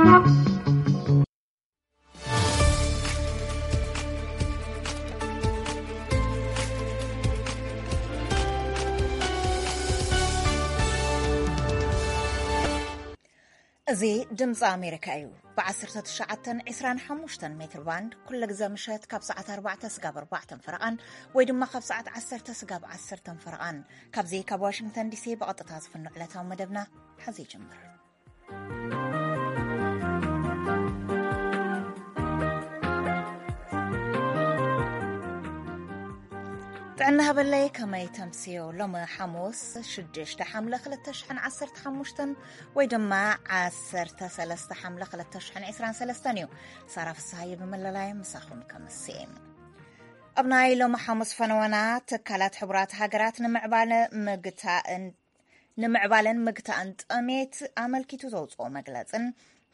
እዚ ድምፂ ኣሜሪካ እዩ። ብ19 25 ሜትር ባንድ ኩሉ ግዜ ምሸት ካብ ሰዓት ኣርባዕተ ስጋብ ኣርባዕተ ፈረቓን ወይ ድማ ካብ ሰዓት ዓሰርተ ስጋብ ዓሰርተ ፈረቓን ካብዚ ካብ ዋሽንግተን ዲሲ ብቐጥታ ዝፍኖ ዕለታዊ መደብና ሕዚ ይጅምር። ጥዕና ሃበለይ፣ ከመይ ተምስዮ? ሎሚ ሓሙስ ሽዱሽተ ሓምለ ክልተ ሽሕን ዓሰርተ ሓሙሽተን ወይ ድማ ዓሰርተ ሰለስተ ሓምለ ክልተ ሽሕን ዕስራን ሰለስተን እዩ። ሳራ ፍስሃየ ብመለላየ ምሳኹም ከምስየ። ኣብ ናይ ሎሚ ሓሙስ ፈነወና፣ ትካላት ሕቡራት ሃገራት ንምዕባለ ምግታእን ንምዕባለን ምግታእን ጥሜት ኣመልኪቱ ዘውፅኦ መግለፅን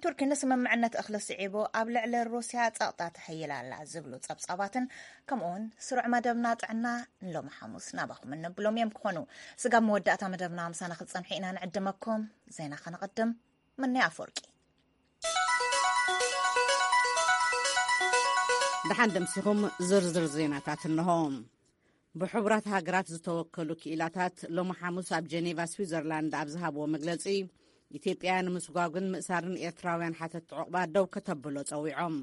ቱርኪ ንስምምዕነት እኽሊ ስዒቡ ኣብ ልዕሊ ሩስያ ፀቕጣ ተሐይላ ኣላ ዝብሉ ፀብፃባትን ከምኡውን ስሩዕ መደብና ጥዕና ንሎሚ ሓሙስ ናባኹም እንብሎም እዮም ክኾኑ። ስጋብ መወዳእታ መደብና ምሳና ክትፀንሑ ኢና ንዕድመኩም። ዜና ከነቐድም። ምንያ ኣፈወርቂ። ደሓን ደምሲኹም። ዝርዝር ዜናታት እንሆ። ብሕቡራት ሃገራት ዝተወከሉ ክኢላታት ሎሚ ሓሙስ ኣብ ጀኔቫ ስዊዘርላንድ ኣብ ዝሃብዎ መግለጺ፣ ኢትዮጵያ ንምስጓግን ምእሳርን ኤርትራውያን ሓተት ዕቑባ ደው ከተብሎ ጸዊዖም።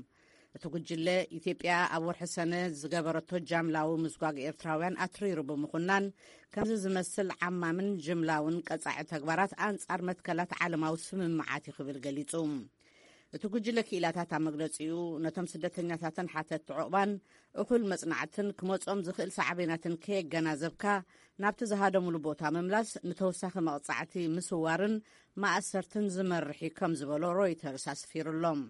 እቲ ጉጅለ፣ ኢትዮጵያ ኣብ ወርሒ ሰነ ዝገበረቶ ጃምላዊ ምስጓግ ኤርትራውያን ኣትሪሩ ብምኹናን፣ ከምዚ ዝመስል ዓማምን ጅምላውን ቀጻዒ ተግባራት ኣንጻር መትከላት ዓለማዊ ስምምዓት እዩ ክብል ገሊጹ። እቲ ጉጅለ ክኢላታት ኣብ መግለጺኡ፣ ነቶም ስደተኛታትን ሓተት ዕቑባን እኹል መጽናዕትን ክመጾም ዝኽእል ሳዕቤናትን ከየገናዘብካ ናብቲ ዝሃደሙሉ ቦታ ምምላስ ንተወሳኺ መቕጻዕቲ፣ ምስዋርን ማእሰርትን ዝመርሕ እዩ ከም ዝበሎ ሮይተርስ ኣስፊሩሎም።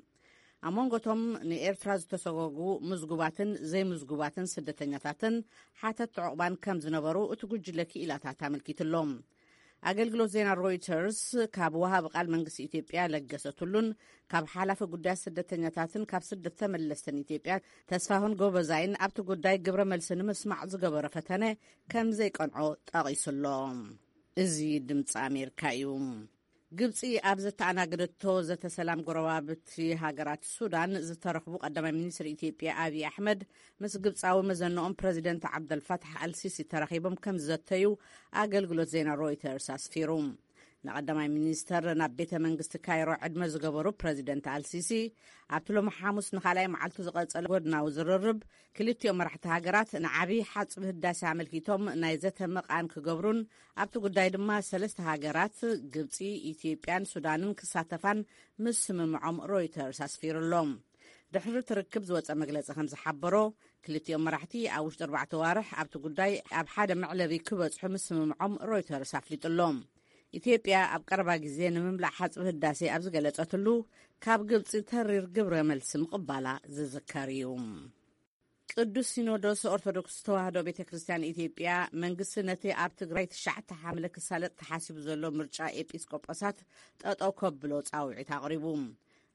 ኣብ መንጎቶም ንኤርትራ ዝተሰጎጉ ምዝጉባትን ዘይምዝጉባትን ስደተኛታትን ሓተት ዕቑባን ከም ዝነበሩ እቲ ጉጅለ ክኢላታት ኣመልኪትሎም። ኣገልግሎት ዜና ሮይተርስ ካብ ወሃቢ ቃል መንግስቲ ኢትዮጵያ ለገሰ ቱሉን ካብ ሓላፊ ጉዳያት ስደተኛታትን ካብ ስደት ተመለስትን ኢትዮጵያ ተስፋሁን ጎበዛይን ኣብቲ ጉዳይ ግብረ መልሲ ንምስማዕ ዝገበሮ ፈተነ ከም ዘይቀንዖ ጠቒሱሎ። እዚ ድምፂ ኣሜሪካ እዩ። ግብፂ ኣብ ዘተኣናገደቶ ዘተ ሰላም ጎረባብቲ ሃገራት ሱዳን ዝተረኽቡ ቀዳማይ ሚኒስትር ኢትዮጵያ ኣብይ ኣሕመድ ምስ ግብፃዊ መዘንኦም ፕረዚደንት ዓብደልፋታሕ ኣልሲሲ ተራኺቦም ከም ዝዘተዩ ኣገልግሎት ዜና ሮይተርስ ኣስፊሩ። ንቐዳማይ ሚኒስተር ናብ ቤተ መንግስቲ ካይሮ ዕድመ ዝገበሩ ፕረዚደንት ኣልሲሲ፣ ኣብቲ ሎሚ ሓሙስ ንኻልኣይ መዓልቱ ዝቐጸለ ጎድናዊ ዝርርብ፣ ክልቲኦም መራሕቲ ሃገራት ንዓቢ ሓጽቢ ህዳሴ ኣመልኪቶም ናይ ዘተ መቓን ክገብሩን ኣብቲ ጉዳይ ድማ ሰለስተ ሃገራት ግብጺ፣ ኢትዮጵያን ሱዳንን ክሳተፋን ምስምምዖም ሮይተርስ ኣስፊሩሎም። ድሕሪ እቲ ርክብ ዝወጸ መግለጺ ከም ዝሓበሮ፣ ክልቲኦም መራሕቲ ኣብ ውሽጢ ኣርባዕተ ዋርሕ ኣብቲ ጉዳይ ኣብ ሓደ መዕለቢ ክበጽሑ ምስምምዖም ሮይተርስ ኣፍሊጡሎም። ኢትዮጵያ ኣብ ቀረባ ግዜ ንምምላእ ሓጽቢ ህዳሴ ኣብ ዝገለጸትሉ፣ ካብ ግብጺ ተሪር ግብረ መልሲ ምቕባላ ዝዝከር እዩ። ቅዱስ ሲኖዶስ ኦርቶዶክስ ተዋህዶ ቤተ ክርስቲያን ኢትዮጵያ፣ መንግስቲ ነቲ ኣብ ትግራይ ትሽዓተ ሓምለ ክሳለጥ ተሓሲቡ ዘሎ ምርጫ ኤጲስቆጶሳት ጠጠው ከብሎ ጻውዒት ኣቕሪቡ።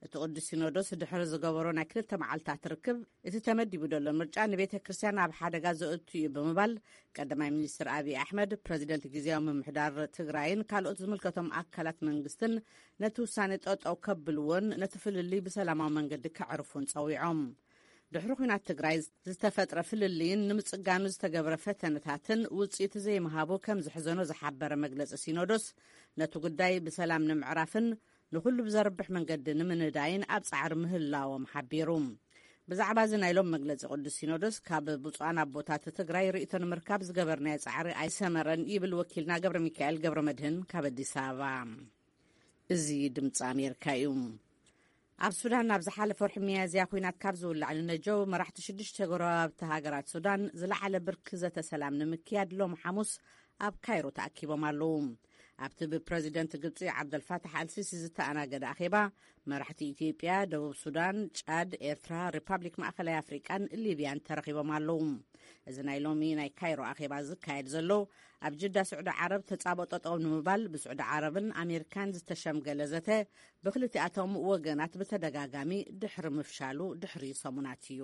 እቲ ቅዱስ ሲኖዶስ ድሕሪ ዝገበሮ ናይ ክልተ መዓልታት ርክብ፣ እቲ ተመዲቡ ዘሎ ምርጫ ንቤተ ክርስቲያን ኣብ ሓደጋ ዘእቱ እዩ ብምባል፣ ቀዳማይ ሚኒስትር ኣብይ ኣሕመድ፣ ፕረዚደንት ግዜያዊ ምምሕዳር ትግራይን ካልኦት ዝምልከቶም ኣካላት መንግስትን ነቲ ውሳኔ ጠጠው ከብልዎን ነቲ ፍልልይ ብሰላማዊ መንገዲ ከዕርፉን ጸዊዖም። ድሕሪ ኲናት ትግራይ ዝተፈጥረ ፍልልይን ንምጽጋኑ ዝተገብረ ፈተነታትን ውጽኢት ዘይምሃቡ ከም ዝሕዘኖ ዝሓበረ መግለጺ ሲኖዶስ፣ ነቲ ጉዳይ ብሰላም ንምዕራፍን ንኹሉ ብዘርብሕ መንገዲ ንምንዳይን ኣብ ጻዕሪ ምህላዎም ሓቢሩ። ብዛዕባ እዚ ናይ ሎም መግለጺ ቅዱስ ሲኖዶስ፣ ካብ ብፁዓን ኣቦታት ትግራይ ርእይቶ ንምርካብ ዝገበርናዮ ጻዕሪ ኣይሰመረን ይብል ወኪልና ገብረ ሚካኤል ገብረ መድህን ካብ ኣዲስ ኣበባ። እዚ ድምፂ ኣሜሪካ እዩ። ኣብ ሱዳን፣ ኣብ ዝሓለፈ ወርሒ ሚያዝያ ኲናት ካብ ዝውላዕ ንነጀው፣ መራሕቲ ሽዱሽተ ጎረባብቲ ሃገራት ሱዳን ዝለዓለ ብርኪ ዘተ ሰላም ንምክያድ ሎሚ ሓሙስ ኣብ ካይሮ ተኣኪቦም ኣለዉ። ኣብቲ ብፕረዚደንት ግብፂ ዓብደልፋታሕ ኣልሲሲ ዝተኣናገደ ኣኼባ፣ መራሕቲ ኢትዮጵያ፣ ደቡብ ሱዳን፣ ጫድ፣ ኤርትራ፣ ሪፓብሊክ ማእኸላይ ኣፍሪቃን ሊብያን ተረኺቦም ኣለዉ። እዚ ናይ ሎሚ ናይ ካይሮ ኣኼባ ዝካየድ ዘሎ፣ ኣብ ጅዳ ስዑዲ ዓረብ ተጻብኦ ጠጠው ንምባል ብስዑዲ ዓረብን ኣሜሪካን ዝተሸምገለ ዘተ ብክልቲኣቶም ወገናት ብተደጋጋሚ ድሕሪ ምፍሻሉ ድሕሪ ሰሙናት እዩ።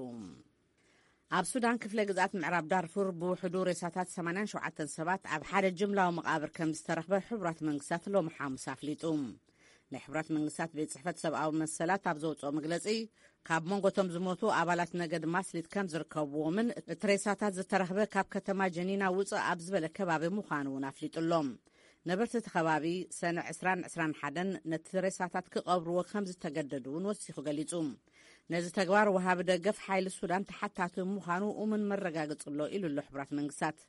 ኣብ ሱዳን ክፍለ ግዝኣት ምዕራብ ዳርፉር ብውሕዱ ሬሳታት ሰማንያን ሸውዓተን ሰባት ኣብ ሓደ ጅምላዊ መቓብር ከም ዝተረኽበ ሕቡራት መንግስታት ሎሚ ሓሙስ ኣፍሊጡ። ናይ ሕቡራት መንግስታት ቤት ጽሕፈት ሰብኣዊ መሰላት ኣብ ዘውፅኦ መግለጺ፣ ካብ መንጎቶም ዝሞቱ ኣባላት ነገድ ማስሊት ከም ዝርከብዎምን እቲ ሬሳታት ዝተረኽበ ካብ ከተማ ጀኒና ውፅእ ኣብ ዝበለ ከባቢ ምዃኑ እውን ኣፍሊጡ ኣሎ። ነበርቲ እቲ ከባቢ ሰነ ዕስራን ዕስራን ሓደን ነቲ ሬሳታት ክቐብርዎ ከም ዝተገደዱ እውን ወሲኹ ገሊጹ። ነዚ ተግባር ወሃቢ ደገፍ ሓይሊ ሱዳን ተሓታቲ ምዃኑ እሙን መረጋገጺ ኣሎ ኢሉ ኣሎ ሕቡራት መንግስታት።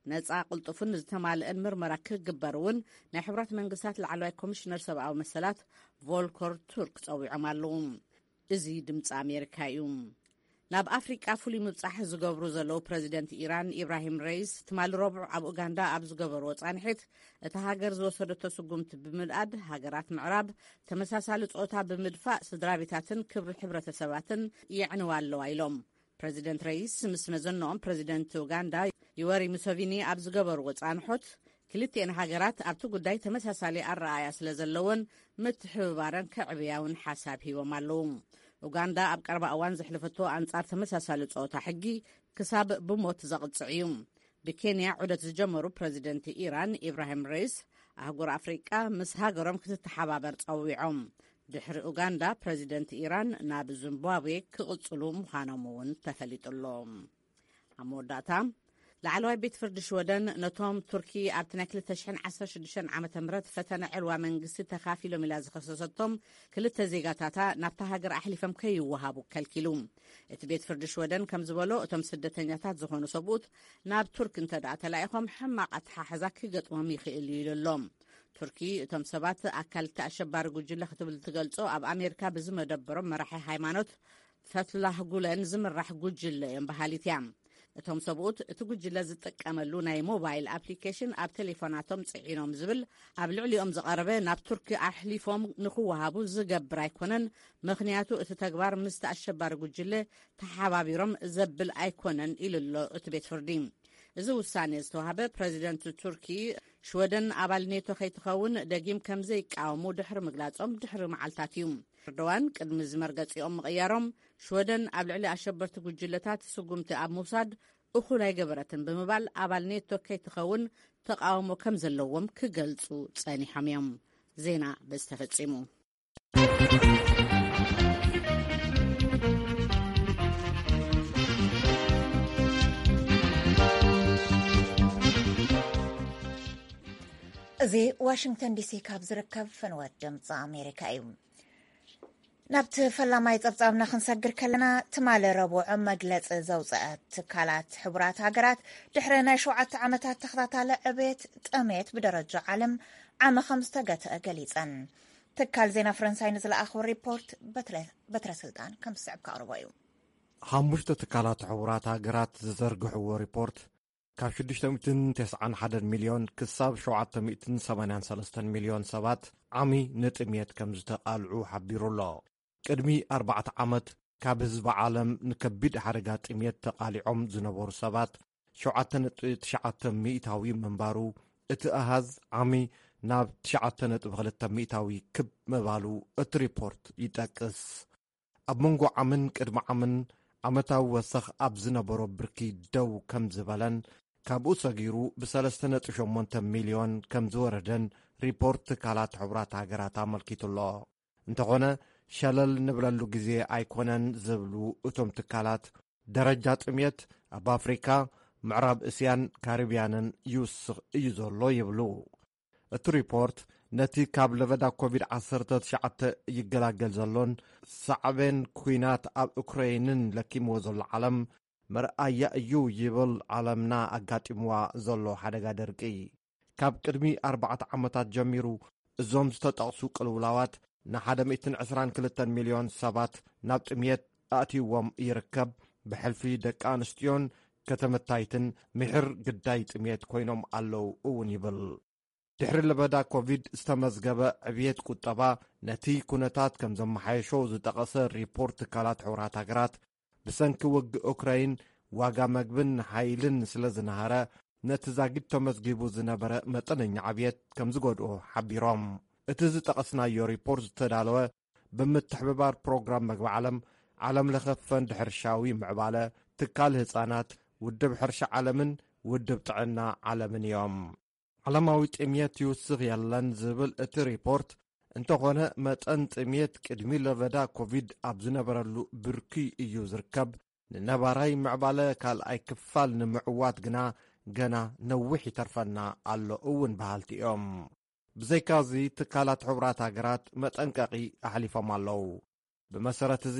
ነጻ፣ ቅልጡፍን ዝተማልአን ምርመራ ክግበር እውን ናይ ሕቡራት መንግስታት ላዕለዋይ ኮሚሽነር ሰብኣዊ መሰላት ቮልከር ቱርክ ጸዊዖም ኣለዉ። እዚ ድምፂ ኣሜሪካ እዩ። ናብ ኣፍሪቃ ፍሉይ ምብጻሕ ዝገብሩ ዘለዉ ፕረዚደንት ኢራን ኢብራሂም ረይስ ትማሊ ረቡዕ ኣብ ኡጋንዳ ኣብ ዝገበርዎ ጻንሒት፣ እታ ሃገር ዝወሰደቶ ስጉምቲ ብምንኣድ፣ ሃገራት ምዕራብ ተመሳሳሊ ጾታ ብምድፋእ ስድራ ቤታትን ክብሪ ሕብረተሰባትን የዕንዋ ኣለዋ ኢሎም። ፕረዚደንት ረይስ ምስ መዘንኦም ፕረዚደንት ኡጋንዳ ዩወሪ ሙሰቪኒ ኣብ ዝገበርዎ ጻንሖት፣ ክልቲኤን ሃገራት ኣብቲ ጉዳይ ተመሳሳሊ ኣረኣእያ ስለ ዘለወን ምትሕብባረን ከዕብያ እውን ሓሳብ ሂቦም ኣለዉ። ኡጋንዳ ኣብ ቀረባ እዋን ዘሕለፈቶ ኣንጻር ተመሳሳሊ ጾታ ሕጊ ክሳብ ብሞት ዘቕጽዕ እዩ። ብኬንያ ዑደት ዝጀመሩ ፕረዚደንት ኢራን ኢብራሂም ረይስ፣ ኣህጉር ኣፍሪቃ ምስ ሃገሮም ክትተሓባበር ጸዊዖም። ድሕሪ ኡጋንዳ፣ ፕረዚደንት ኢራን ናብ ዚምባብዌ ክቕጽሉ ምዃኖም እውን ተፈሊጡ ኣሎ። ኣብ መወዳእታ፣ ላዕለዋይ ቤት ፍርዲ ሽወደን ነቶም ቱርኪ ኣብቲ ናይ ክልተ ሽሕን ዓሰርተ ሽዱሽተን ዓመተ ምህረት ፈተነ ዕልዋ መንግስቲ ተኻፊሎም ኢላ ዝኸሰሰቶም ክልተ ዜጋታታ ናብታ ሃገር ኣሕሊፎም ከይወሃቡ ከልኪሉ። እቲ ቤት ፍርዲ ሽወደን ከም ዝበሎ፣ እቶም ስደተኛታት ዝኾኑ ሰብኡት ናብ ቱርክ እንተ ደኣ ተላኢኾም፣ ሕማቕ ኣተሓሕዛ ክገጥሞም ይኽእል እዩ ኢሉ ኣሎ። ቱርኪ እቶም ሰባት ኣካል እቲ ኣሸባሪ ጉጅለ ክትብል ትገልጾ ኣብ ኣሜሪካ ብዝመደበሮም መራሒ ሃይማኖት ፈትላህ ጉለን ዝምራሕ ጉጅለ እዮም በሃሊት እያ። እቶም ሰብኡት እቲ ጉጅለ ዝጥቀመሉ ናይ ሞባይል ኣፕሊኬሽን ኣብ ቴሌፎናቶም ጽዒኖም ዝብል ኣብ ልዕሊኦም ዝቐረበ ናብ ቱርኪ ኣሕሊፎም ንኽወሃቡ ዝገብር ኣይኮነን፣ ምኽንያቱ እቲ ተግባር ምስቲ ኣሸባሪ ጉጅለ ተሓባቢሮም ዘብል ኣይኮነን ኢሉ ኣሎ እቲ ቤት ፍርዲ። እዚ ውሳኔ ዝተዋህበ ፕረዚደንት ቱርኪ ሽወደን ኣባል ኔቶ ከይትኸውን ደጊም ከም ዘይቃወሙ ድሕሪ ምግላጾም ድሕሪ መዓልታት እዩ። ኤርዶዋን ቅድሚ እዚ መርገጺኦም ምቕያሮም፣ ሽወደን ኣብ ልዕሊ ኣሸበርቲ ጉጅለታት ስጉምቲ ኣብ ምውሳድ እኹል ኣይገበረትን ብምባል ኣባል ኔቶ ከይትኸውን ተቃውሞ ከም ዘለዎም ክገልጹ ጸኒሖም እዮም። ዜና በዚ ተፈጺሙ። እዚ ዋሽንግተን ዲሲ ካብ ዝርከብ ፈንወት ድምፂ ኣሜሪካ እዩ። ናብቲ ፈላማይ ጸብጻብና ክንሰግር ከለና፣ ትማሊ ረቡዕ መግለጺ ዘውጽአት ትካላት ሕቡራት ሃገራት ድሕሪ ናይ ሸውዓተ ዓመታት ተኸታታሊ ዕቤት ጥሜት ብደረጃ ዓለም ዓሚ ከም ዝተገትአ ገሊጸን። ትካል ዜና ፈረንሳይ ንዝለኣኸ ሪፖርት በትረ-፣ በትረ ስልጣን ከም ዝስዕብ ከቕርቦ እዩ። ሓሙሽተ ትካላት ሕቡራት ሃገራት ዝዘርግሕዎ ሪፖርት፣ ካብ ሽዱሽተ ሚእትን ተስዓን ሓደን ሚልዮን ክሳብ ሸውዓተ ሚእትን ሰማንያን ሰለስተን ሚልዮን ሰባት ዓሚ ንጥሜት ከም ዝተቓልዑ ሓቢሩ ኣሎ። ቅድሚ ኣርባዕተ ዓመት፣ ካብ ህዝቢ ዓለም ንከቢድ ሓደጋ ጥሜት ተቓሊዖም ዝነበሩ ሰባት ሸውዓተ ነጥቢ ትሽዓተ ሚእታዊ ምንባሩ፣ እቲ ኣሃዝ ዓሚ ናብ ትሽዓተ ነጥቢ ክልተ ሚእታዊ ክብ ምባሉ እቲ ሪፖርት ይጠቅስ። ኣብ መንጎ ዓምን ቅድሚ ዓምን ዓመታዊ ወሰኽ ኣብ ዝነበሮ ብርኪ ደው ከም ዝበለን፣ ካብኡ ሰጊሩ ብሰለስተ ነጥቢ ሸሞንተ ሚልዮን ከም ዝወረደን ሪፖርት ትካላት ሕቡራት ሃገራት ኣመልኪቱ ኣሎ። እንተኾነ፣ ሸለል ንብለሉ ግዜ ኣይኮነን ዝብሉ እቶም ትካላት፣ ደረጃ ጥሜት ኣብ ኣፍሪካ፣ ምዕራብ እስያን ካሪብያንን ይውስኽ እዩ ዘሎ ይብሉ። እቲ ሪፖርት፣ ነቲ ካብ ለበዳ ኮቪድ ዓሰርተ ትሽዓተ ይገላገል ዘሎን ሳዕቤን ኲናት ኣብ ኡክረይንን ለኪምዎ ዘሎ ዓለም መርኣያ እዩ ይብል፣ ዓለምና ኣጋጢምዋ ዘሎ ሓደጋ ደርቂ። ካብ ቅድሚ ኣርባዕተ ዓመታት ጀሚሩ፣ እዞም ዝተጠቕሱ ቅልውላዋት ንሓደ ሚእትን ዕስራን ክልተን ሚልዮን ሰባት ናብ ጥሜት ኣእትይዎም ይርከብ። ብሕልፊ ደቂ ኣንስትዮን ከተመታይትን ምሒር ግዳይ ጥሜት ኮይኖም ኣለዉ እውን ይብል። ድሕሪ ለበዳ ኮቪድ ዝተመዝገበ ዕብየት ቁጠባ ነቲ ኩነታት ከም ዘመሓየሾ ዝጠቐሰ ሪፖርት ትካላት ሕቡራት ሃገራት፣ ብሰንኪ ውግእ ኡክራይን ዋጋ መግብን ሓይልን ስለ ዝነሃረ፣ ነቲ ዛጊድ ተመዝጊቡ ዝነበረ መጠነኛ ዕብየት ከም ዝጎድኦ ሓቢሮም። እቲ ዝጠቐስናዮ ሪፖርት ዝተዳለወ ብምትሕብባር ፕሮግራም መግቢ ዓለም፣ ዓለም ለኸ ፈንድ ሕርሻዊ ምዕባለ፣ ትካል ህጻናት፣ ውድብ ሕርሻ ዓለምን ውድብ ጥዕና ዓለምን እዮም። ዓለማዊ ጥሜት ይውስኽ የለን ዝብል እቲ ሪፖርት፣ እንተኾነ፣ መጠን ጥምየት ቅድሚ ለበዳ ኮቪድ ኣብ ዝነበረሉ ብርኪ እዩ ዝርከብ። ንነባራይ ምዕባለ ካልኣይ ክፋል ንምዕዋት ግና ገና ነዊሕ ይተርፈና ኣሎ እውን በሃልቲ እዮም። ብዘይካዚ፣ ትካላት ሕቡራት ሃገራት መጠንቀቒ ኣሕሊፎም ኣለዉ። ብመሰረት እዚ፣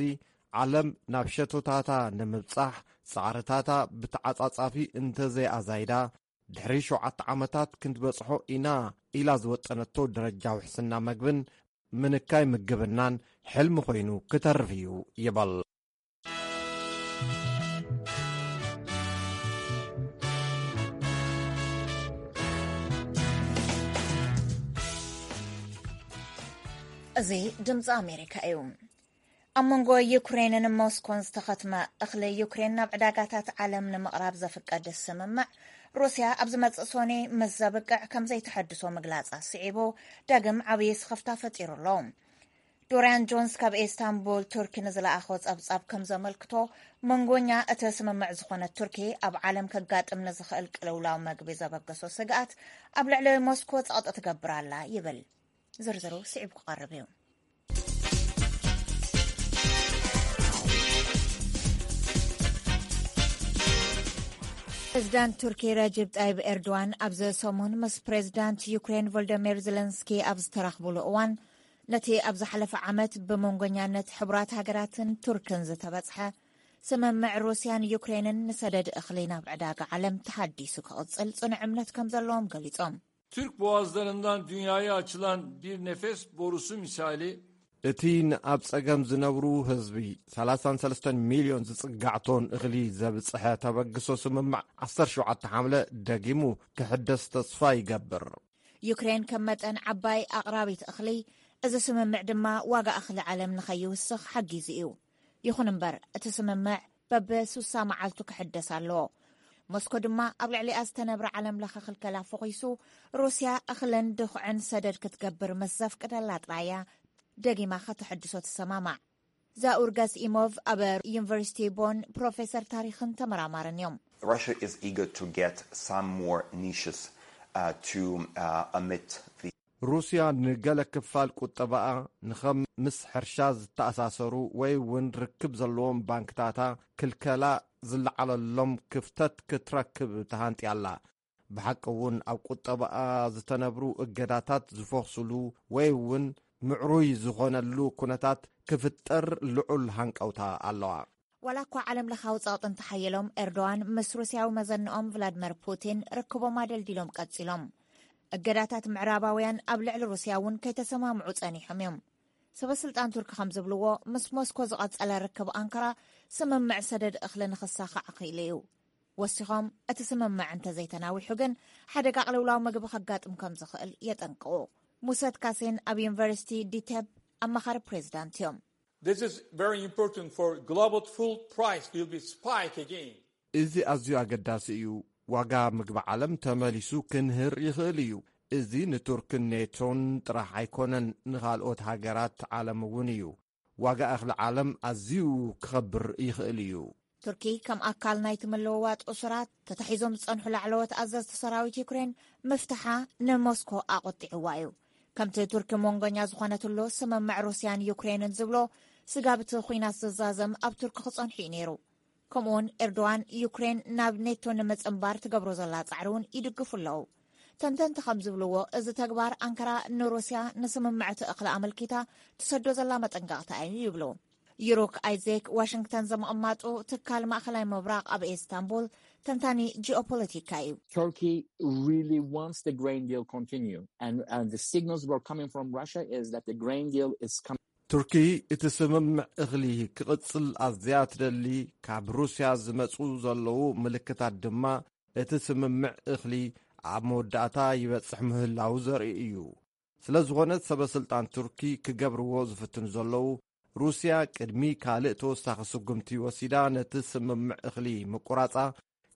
ዓለም ናብ ሸቶታታ ንምብጻሕ ጻዕርታታ ብተዓጻጻፊ እንተዘይኣዛይዳ፣ ድሕሪ ሸውዓተ ዓመታት ክንበጽሖ ኢና ኢላ ዝወጠነቶ ደረጃ ውሕስና መግብን ምንካይ ምግብናን ሕልሚ ኮይኑ ክተርፍ እዩ ይበል። እዚ ድምፂ ኣሜሪካ እዩ። ኣብ መንጎ ዩክሬንን ሞስኮን ዝተኸትመ እኽሊ ዩክሬን ናብ ዕዳጋታት ዓለም ንምቕራብ ዘፍቀድ ስምምዕ፣ ሩስያ ኣብ ዝመጽእ ሶኔ ምስ ዘብቅዕ ከም ዘይተሐድሶ ምግላጻ ስዒቡ፣ ዳግም ዓብዪ ስኽፍታ ፈጢሩ ኣሎ። ዶርያን ጆንስ ካብ ኢስታንቡል ቱርኪ ንዝለኣኾ ጸብጻብ ከም ዘመልክቶ፣ መንጎኛ እቲ ስምምዕ ዝኾነት ቱርኪ፣ ኣብ ዓለም ከጋጥም ንዝኽእል ቅልውላው መግቢ ዘበገሶ ስግኣት ኣብ ልዕሊ ሞስኮ ጸቕጢ ትገብር ኣላ ይብል። ዝርዝሩ ስዒቡ ክቐርብ እዩ። ፕሬዚዳንት ቱርኪ ረጅብ ጣይብ ኤርዶዋን ኣብዚ ሰሙን ምስ ፕሬዚዳንት ዩክሬን ቮልደሚር ዘለንስኪ ኣብ ዝተራኽቡሉ እዋን፣ ነቲ ኣብ ዝሓለፈ ዓመት ብመንጎኛነት ሕቡራት ሃገራትን ቱርክን ዝተበጽሐ ስምምዕ ሩስያን ዩክሬንን ንሰደድ እኽሊ ናብ ዕዳጋ ዓለም ተሃዲሱ ክቕጽል ጽኑዕ እምነት ከም ዘለዎም ገሊጾም። Türk boğazlarından dünyaya açılan bir nefes borusu misali. እቲ ንኣብ ጸገም ዝነብሩ ህዝቢ፣ ሰላሳን ሰለስተን ሚልዮን ዝጽጋዕ ቶን እኽሊ ዘብጽሐ ተበግሶ ስምምዕ ዓሰርተ ሸውዓተ ሓምለ ደጊሙ ክሕደስ ተስፋ ይገብር። ዩክሬን ከም መጠን ዓባይ ኣቕራቢት እኽሊ፣ እዚ ስምምዕ ድማ ዋጋ እኽሊ ዓለም ንኸይውስኽ ሓጊዙ እዩ። ይኹን እምበር፣ እቲ ስምምዕ በብስሳ መዓልቱ ክሕደስ ኣለዎ። ሞስኮ ድማ ኣብ ልዕሊኣ ዝተነብረ ዓለም ለኸ ክልከላ ፈኺሱ፣ ሩስያ እኽልን ድኹዕን ሰደድ ክትገብር ምስ ዘፍቅደላ ጥራይ እያ ደጊማ ከተሐድሶ ትሰማማዕ። ዛኡር ጋስኢሞቭ ኣብ ዩኒቨርሲቲ ቦን ፕሮፌሰር ታሪኽን ተመራማርን እዮም። Russia is eager to get some more niches uh, to uh, omit the ሩስያ ንገለ ክፋል ቁጠባኣ ንኸም ምስ ሕርሻ ዝተኣሳሰሩ ወይ እውን ርክብ ዘለዎም ባንክታታ ክልከላ ዝለዓለሎም ክፍተት ክትረክብ ተሃንጥያ ኣላ። ብሓቂ እውን ኣብ ቁጠባኣ ዝተነብሩ እገዳታት ዝፈኽስሉ ወይ እውን ምዕሩይ ዝኾነሉ ኩነታት ክፍጠር ልዑል ሃንቀውታ ኣለዋ። ዋላ እኳ ዓለም ለኻዊ ጸቕጢ እንተሓየሎም፣ ኤርዶዋን ምስ ሩስያዊ መዘንኦም ቭላድመር ፑቲን ርክቦም ኣደልዲሎም ቀጺሎም። እገዳታት ምዕራባውያን ኣብ ልዕሊ ሩስያ እውን ከይተሰማምዑ ጸኒሖም እዮም። ሰበ ስልጣን ቱርኪ ከም ዝብልዎ፣ ምስ ሞስኮ ዝቐጸለ ርክብ ኣንካራ ስምምዕ ሰደድ እኽሊ ንኽሳኻዕ ክኢሉ እዩ። ወሲኾም፣ እቲ ስምምዕ እንተዘይተናዊሑ ግን ሓደጋ ቅልውላው ምግቢ ከጋጥም ከም ዝኽእል የጠንቅቑ። ሙሰት ካሴን ኣብ ዩኒቨርሲቲ ዲቴብ ኣማኻሪ ፕሬዚዳንት እዮም። This is very important for global food price will be spike again. እዚ ኣዝዩ ኣገዳሲ እዩ። ዋጋ ምግቢ ዓለም ተመሊሱ ክንህር ይኽእል እዩ። እዚ ንቱርክን ኔቶን ጥራሕ ኣይኮነን፣ ንኻልኦት ሃገራት ዓለም እውን እዩ። ዋጋ እኽሊ ዓለም ኣዝዩ ክኸብር ይኽእል እዩ። ቱርኪ ከም ኣካል ናይቲ ምልውዋጥ እሱራት ተታሒዞም ዝጸንሑ ላዕለዎት ኣዘዝቲ ሰራዊት ዩክሬን ምፍታሓ ንሞስኮ ኣቖጢዕዋ እዩ። ከምቲ ቱርኪ መንጎኛ ዝኾነትሉ ስምምዕ ሩስያን ዩክሬንን ዝብሎ፣ ስጋብቲ ኹናት ዝዛዘም ኣብ ቱርኪ ክጸንሑ እዩ ነይሩ። ከምኡውን ኤርዶዋን ዩክሬን ናብ ኔቶ ንምጽንባር ትገብሮ ዘላ ጻዕሪ እውን ይድግፉ ኣለዉ። ተንተንቲ ከም ዝብልዎ፣ እዚ ተግባር ኣንካራ ንሩስያ ንስምምዕ እቲ እኽሊ ኣመልኪታ ትሰዶ ዘላ መጠንቀቕታ እዩ ይብሉ። ዩሩክ ኣይዜክ ዋሽንግተን ዘምቕማጡ ትካል ማእኸላይ ምብራቕ ኣብ ኢስታንቡል ተንታኒ ጂኦፖለቲካ እዩ። Turkey really wants the grain deal continue and, and the signals were coming from Russia is that the grain deal is coming. ቱርኪ እቲ ስምምዕ እኽሊ ክቕጽል ኣዝያ ትደሊ፣ ካብ ሩስያ ዝመጹ ዘለዉ ምልክታት ድማ እቲ ስምምዕ እኽሊ ኣብ መወዳእታ ይበጽሕ ምህላዉ ዘርኢ እዩ። ስለ ዝኾነ ሰበ ስልጣን ቱርኪ ክገብርዎ ዝፍትኑ ዘለዉ፣ ሩስያ ቅድሚ ካልእ ተወሳኺ ስጉምቲ ወሲዳ ነቲ ስምምዕ እኽሊ ምቁራጻ።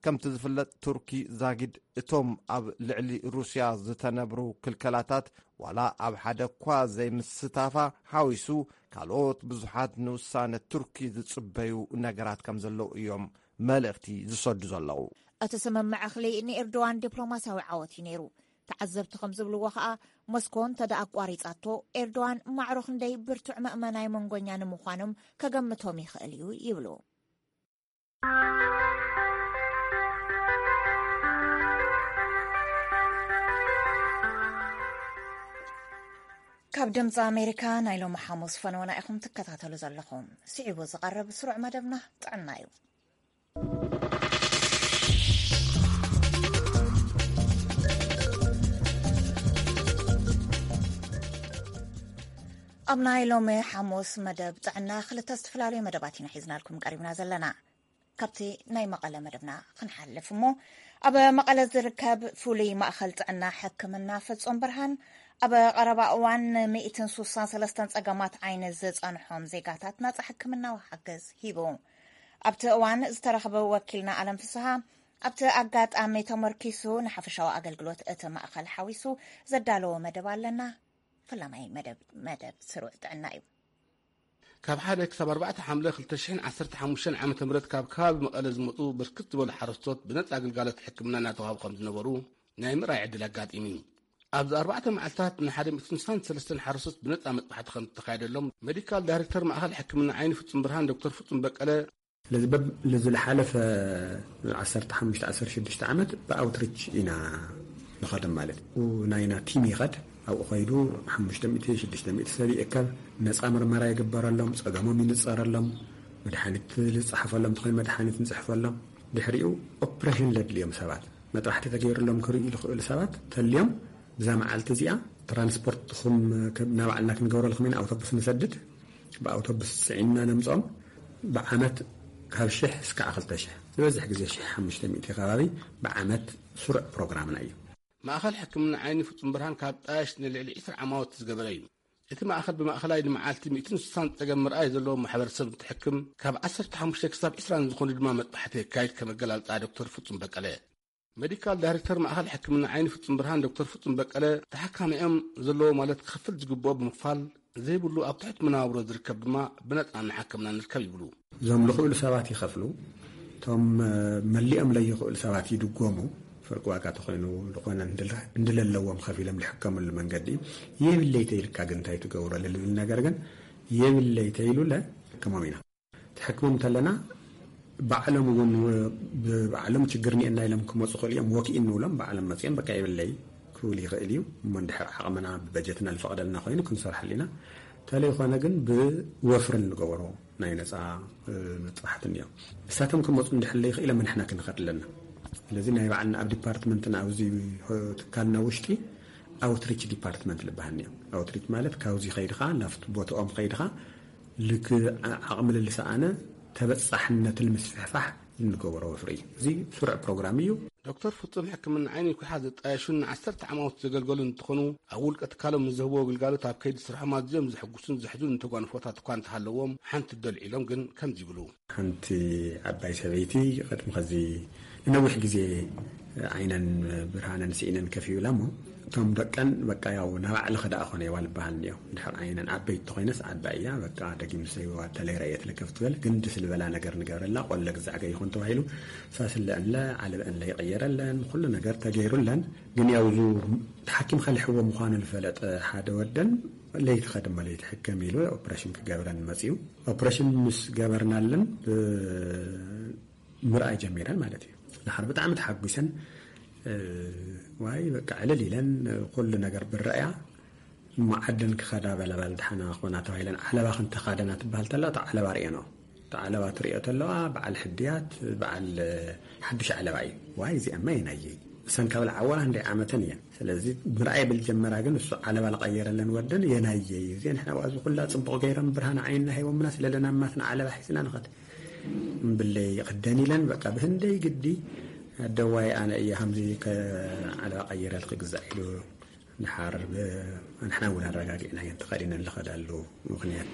ከምቲ ዝፍለጥ ቱርኪ ዛጊድ እቶም ኣብ ልዕሊ ሩስያ ዝተነብሩ ክልከላታት ዋላ ኣብ ሓደ እኳ ዘይምስታፋ ሓዊሱ ካልኦት ብዙሓት ንውሳነ ቱርኪ ዝጽበዩ ነገራት ከም ዘለዉ እዮም መልእኽቲ ዝሰዱ ዘለዉ። እቲ ስምምዕ እኽሊ ንኤርዶዋን ዲፕሎማስያዊ ዓወት እዩ ነይሩ። ተዓዘብቲ ከም ዝብልዎ ከኣ፣ ሞስኮ እንተ ደኣ ኣቋሪጻቶ፣ ኤርዶዋን ማዕሮ ክንደይ ብርቱዕ መእመናይ መንጎኛ ንምዃኖም ከገምቶም ይኽእል እዩ ይብሉ። ካብ ድምፂ ኣሜሪካ ናይ ሎሚ ሓሙስ ፈነወና ኢኹም ትከታተሉ ዘለኹም። ስዒቡ ዝቐርብ ስሩዕ መደብና ጥዕና እዩ። ኣብ ናይ ሎሚ ሓሙስ መደብ ጥዕና ክልተ ዝተፈላለዩ መደባት ኢና ሒዝናልኩም ቀሪብና ዘለና። ካብቲ ናይ መቐለ መደብና ክንሓልፍ እሞ፣ ኣብ መቐለ ዝርከብ ፍሉይ ማእኸል ጥዕና ሕክምና ፍጹም ብርሃን ኣብ ቀረባ እዋን ን163 ጸገማት ዓይኒ ዝጸንሖም ዜጋታት ናጻ ሕክምናዊ ሓገዝ ሂቡ። ኣብቲ እዋን ዝተረኽበ ወኪልና ኣለም ፍስሃ፣ ኣብቲ ኣጋጣሚ ተመርኪሱ ንሓፈሻዊ ኣገልግሎት እቲ ማእኸል ሓዊሱ ዘዳለዎ መደብ ኣለና። ፈላማይ መደብ፣ መደብ ስሩዕ ጥዕና እዩ። ካብ ሓደ ክሳብ ኣርባዕተ ሓምለ ክልተ ሽሕን ዓሰርተ ሓሙሽተን ዓመተ ምህረት ካብ ከባቢ መቐለ ዝመጹ ብርክት ዝበሉ ሓረስቶት ብነጻ ግልጋሎት ሕክምና እናተዋህቡ ከም ዝነበሩ ናይ ምርኣይ ዕድል ኣጋጢሙ እዩ። ኣብዚ ኣርባዕተ መዓልታት ንሓደ ሚእትን ስሳን ሰለስተን ሓረስቶት ብነጻ መጥባሕቲ ከም ዝተኻየደሎም ሜዲካል ዳይሬክተር ማእኸል ሕክምና ዓይኒ ፍጹም ብርሃን ዶክተር ፍጹም በቀለ ስለዚ በብ-፣ ዝሓለፈ ዓሰርተ ሓሙሽተ ዓሰርተ ሽዱሽተ ዓመት ብኣውትሪች ኢና ንኸደም ማለት እዩ። ናይና ቲም ይኸድ፣ ኣብኡ ኸይዱ ሓሙሽተ ሚእቲ ሽዱሽተ ሚእቲ ሰብ ይእከብ፣ ነፃ ምርመራ ይግበረሎም፣ ጸገሞም ይንጸረሎም፣ መድሓኒት ዝጸሓፈሎም እንተኾይኑ መድሓኒት ንጽሕፈሎም። ድሕሪኡ ኦፕሬሽን ለድልዮም ሰባት፣ መጥባሕቲ ተገይሩሎም ክርእዩ ዝኽእሉ ሰባት ተልዮም፣ ብዛ መዓልቲ እዚኣ ትራንስፖርትኹም ናብ ባዕልና ክንገብረልኩም ኢና፣ ኣውቶቡስ ንሰድድ፣ ብኣውቶቡስ ጽዒንና ነምጽኦም። ብዓመት ካብ ሽሕ እስካዕ ክልተ ሽሕ፣ ዝበዝሕ ግዜ ሽሕ ሓሙሽተ ሚእቲ ከባቢ ብዓመት ስሩዕ ፕሮግራምና እዩ። ማእኸል ሕክምና ዓይኒ ፍጹም ብርሃን ካብ ጣየሽ ንልዕሊ ዕስራ ዓማውቲ ዝገበረ እዩ። እቲ ማእኸል ብማእኸላይ ንመዓልቲ ሚእትን ስሳን ጸገም ምርኣይ ዘለዎ ማሕበረሰብ እንትሕክም፣ ካብ ዓሰርተ ሓሙሽተ ክሳብ ዕስራ ንዝኾኑ ድማ መጥባሕቲ የካይድ፣ ከም ኣገላልጻ ዶክተር ፍጹም በቀለ። ሜዲካል ዳይሬክተር ማእኸል ሕክምና ዓይኒ ፍጹም ብርሃን ዶክተር ፍጹም በቀለ፣ ተሓካሚኦም ዘለዎ ማለት ክኸፍል ዝግብኦ ብምኽፋል ዘይብሉ ኣብ ትሕቲ መነባብሮ ዝርከብ ድማ ብነጻ እናሓከምና ንርከብ ይብሉ። እዞም ልኽእሉ ሰባት ይኸፍሉ፣ እቶም፣ እ፣ መሊኦም ለይኽእሉ ሰባት ይድጎሙ። ፍርቂ ዋጋ ተኾይኑ ዝኾነ እንድለ-፣ እንድለለዎም ከፊሎም ልሕከምሉ መንገዲ እዩ። የብለይ ተይልካ ግን እንታይ ትገብሮ ለልብል ነገር ግን የብለይ ተይሉ ለሕክሞም ኢና። ትሕክሞም እንተለና ባዕሎም እውን ው-፣ ብባዕሎም ችግር እኒኤና ኢሎም ክመፁ ክእሉ እዮም። ወኪኢ እንብሎም ባዕሎም መፅኦም በቃ የብለይ ክብል ይኽእል እዩ። እሞ እንድሕር ዓቕምና ብበጀትና ዝፈቕደልና ኮይኑ ክንሰርሐሉ ኢና። እንተለይኮነ ግን ብወፍሪ እንገበሮ ናይ ነፃ፣ እ፣ መጥባሕቲ እኒኦ። እሳቶም ክመፁ እንድሕር ለይኽኢሎም ንሕና ክንኸድ ኣለና። ስለዚ ናይ ባዕልና ኣብ ዲፓርትመንትና ኣብዚ፣ እ፣ ትካልና ውሽጢ ኣውትሪች ዲፓርትመንት ልበሃል እኒኦ። ኣውትሪች ማለት ካብዚ ከይድኻ ናብቲ ቦትኦም ከይድኻ ልክ ዓ-፣ ዓቕሚ ልልሰኣነ ተበጻሕነት ንምስፍሕፋሕ እንገብሮ ወፍሪ እዩ። እዚ ስሩዕ ፕሮግራም እዩ። ዶክተር ፍጹም ሕክምና ዓይኒ ኩሓ ዘጣየሹን ንዓሰርተ ዓማውት ዘገልገሉ እንትኾኑ፣ ኣብ ውልቀ ትካሎም ንዝህብዎ ግልጋሎት ኣብ ከይዲ ስርሖም ኣዝዮም ዘሐጉሱን ዘሕዝኑን ተጓንፎታት እኳ እንተሃለዎም፣ ሓንቲ ደልዒሎም ግን ከምዚ ይብሉ። ሓንቲ ዓባይ ሰበይቲ ቅድሚ ኸዚ ንነዊሕ ግዜ ዓይነን ብርሃነን ስኢነን ከፍ ይብላ እሞ፣ እቶም ደቀን በቃ ያው ናብ ባዕልኺ ደኣ ኾነ ይዋ ልበሃል እኒኦ። እንድሕር ዓይነን ዓበይቲ ተኾይነስ ዓባይ እያ፣ በቃ ደጊም ሰይዋ ተለይ ረእየት ልከፍ ትበል፣ ግን ደስ ልበላ ነገር ንገብረላ፣ ቆለ ግዛዕ ገይኹን ተባሂሉ፣ ሳስለአንለ፣ ዓለበአንለ ይቐየረለን፣ ኩሉ ነገር ተገይሩለን። ግን ያው እዙ ተሓኪምካ ልሕዎ ምዃኑ ልፈለጠ ሓደ ወደን፣ ለይቲ ኸድማ ለይቲ ሕከም ኢሉ ኦፕሬሽን ክገብረን መጺኡ። ኦፕሬሽን ምስ ገበርናለን፣ ብ-፣ ምርኣይ ጀሚረን ማለት እዩ። ድሓር ብጣዕሚ ተሓጒሰን፣ እ፣ ዋይ በቃ ዕልል ኢለን፣ ኩሉ ነገር ብረእያ፣ እሞ ዓደን ክኸዳ በላ፣ በል ድሓና ኮና ተባሂለን፣ ዓለባ ክንተኻደና ትበሃል ተላ፣ እታ ዓለባ ርእየን። እታ ዓለባ ትርእዮ ተለዋ፣ በዓል ሕድያት፣ በዓል ሓዱሽ ዓለባ እዩ። ዋይ እዚኣማ የናየይ። እሰን ካብ ለዓወላ ክንደይ ዓመተን እየን። ስለዚ ምርኣይ ብል ጀመራ፣ ግን እሱ ዓለባ ለቐየረለን ወደን የናየይ። እዚአን ሕና ዋዚ ኩላ ጽቡቕ ገይረን ብርሃን ዓይንና ሂቦምና፣ ስለለና ማትና ዓለባ ሒዝና ንኸድ። እምብለይ ክደን ኢለን፣ በቃ ብህንደይ ግዲ ኣደዋይ ኣነ እየ ከምዚ ከ-፣ ዓለባ ቀይረልኪ ግዛዕ ኢሉ፣ ድሓር ብ-፣ ንሕና እውን ኣረጋጊዕናየን ተኸዲነን ልኸዳሉ ምኽንያት